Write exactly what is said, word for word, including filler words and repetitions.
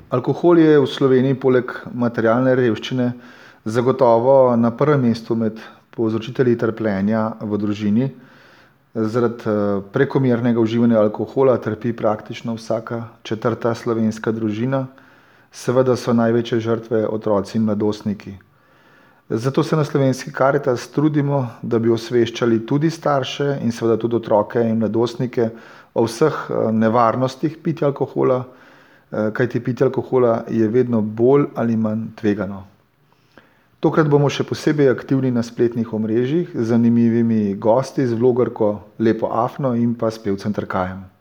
Alkohol je v Sloveniji poleg materialne revščine zagotovo na prvem mestu med povzročitelji trpljenja v družini. Zaradi prekomernega uživanja alkohola trpi praktično vsaka četrta slovenska družina. Seveda so največje žrtve otroci in mladostniki. Zato se na Slovenski Karitas trudimo, da bi osveščali tudi starše in seveda tudi otroke in mladostnike o vseh nevarnostih pitja alkohola, kajti pitje alkohola je vedno bolj ali manj tvegano. Tokrat bomo še posebej aktivni na spletnih omrežjih z zanimivimi gosti, z vlogerko Lepo Afno in pa s pevcem Trkajem.